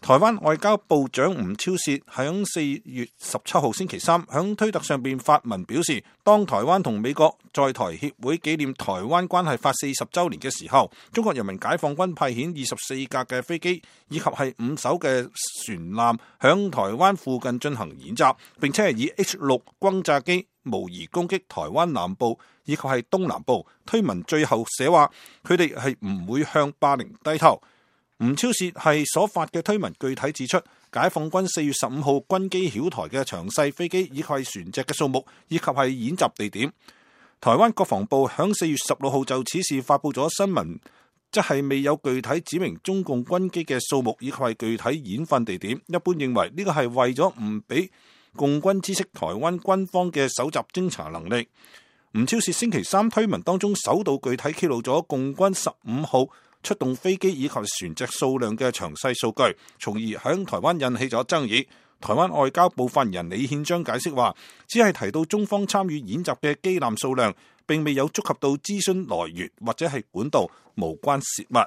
台灣外交部長吳釗燮喺4月17號星期三喺推特上邊發文表示，當台灣同美國在台協會紀念台灣關係法40週年嘅時候，中國人民解放軍派遣24架嘅飛機以及係5艘嘅船艦響台灣附近進行演習，並且係以 H6 轟炸機模擬攻擊台灣南部以及係東南部。推文最後寫話，佢哋係唔會向霸凌低頭。吳釗燮係所發嘅推文具體指出，解放軍4月15號軍機擾台嘅詳細飛機以及係船隻嘅數目以及係演習地點。台灣國防部響4月16號就此事發佈咗新聞，即係未有具體指明中共軍機嘅數目以及係具體演訓地點。一般認為呢個係為咗唔俾共軍知悉台灣軍方嘅搜集偵查能力。吳釗燮星期三推文當中首度具體揭露咗共軍15號出動飛機以及船隻數量嘅詳細數據，從而響台灣引起咗爭議。台灣外交部發言人李憲章解釋話，只係提到中方參與演習嘅機艦數量，並未有觸及到資訊來源或者係管道，無關泄密。